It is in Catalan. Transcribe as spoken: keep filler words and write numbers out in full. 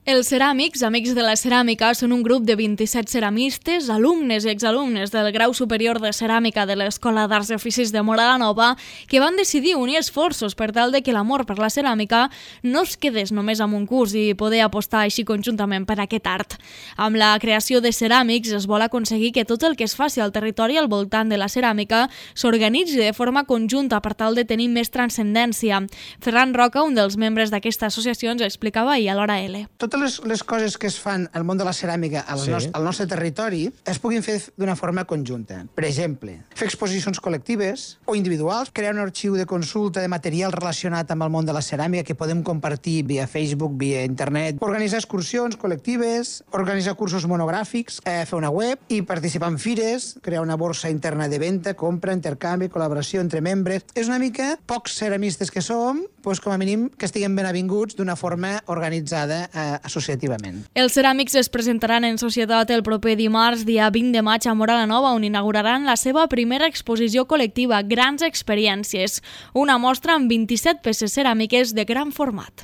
Els ceràmics, Amics de la Ceràmica, són un grup de vint-i-set ceramistes, alumnes i exalumnes del grau superior de ceràmica de l'Escola d'Arts i Oficis de Móra la Nova que van decidir unir esforços per tal de que l'amor per la ceràmica no es quedés només amb un curs i poder apostar així conjuntament per aquest art. Amb la creació de ceràmics es vol aconseguir que tot el que es faci al territori al voltant de la ceràmica s'organitzi de forma conjunta per tal de tenir més transcendència. Ferran Roca, un dels membres d'aquesta associació, ens explicava ahir a l'Hora L. Totes les, les coses que es fan al món de la ceràmica al, sí. nos, al nostre territori es puguin fer d'una forma conjunta. Per exemple, fer exposicions col·lectives o individuals, crear un arxiu de consulta de material relacionat amb el món de la ceràmica que podem compartir via Facebook, via internet, organitzar excursions col·lectives, organitzar cursos monogràfics, eh, fer una web i participar en fires, crear una borsa interna de venda, compra, intercanvi, col·laboració entre membres. És una mica pocs ceramistes que som, doncs com a mínim que estiguem ben avinguts d'una forma organitzada eh, associativament. Els ceràmics es presentaran en societat el proper dimarts, dia vint de maig, a Móra la Nova, on inauguraran la seva primera exposició col·lectiva, Grans Experiències, una mostra amb vint-i-set peces ceràmiques de gran format.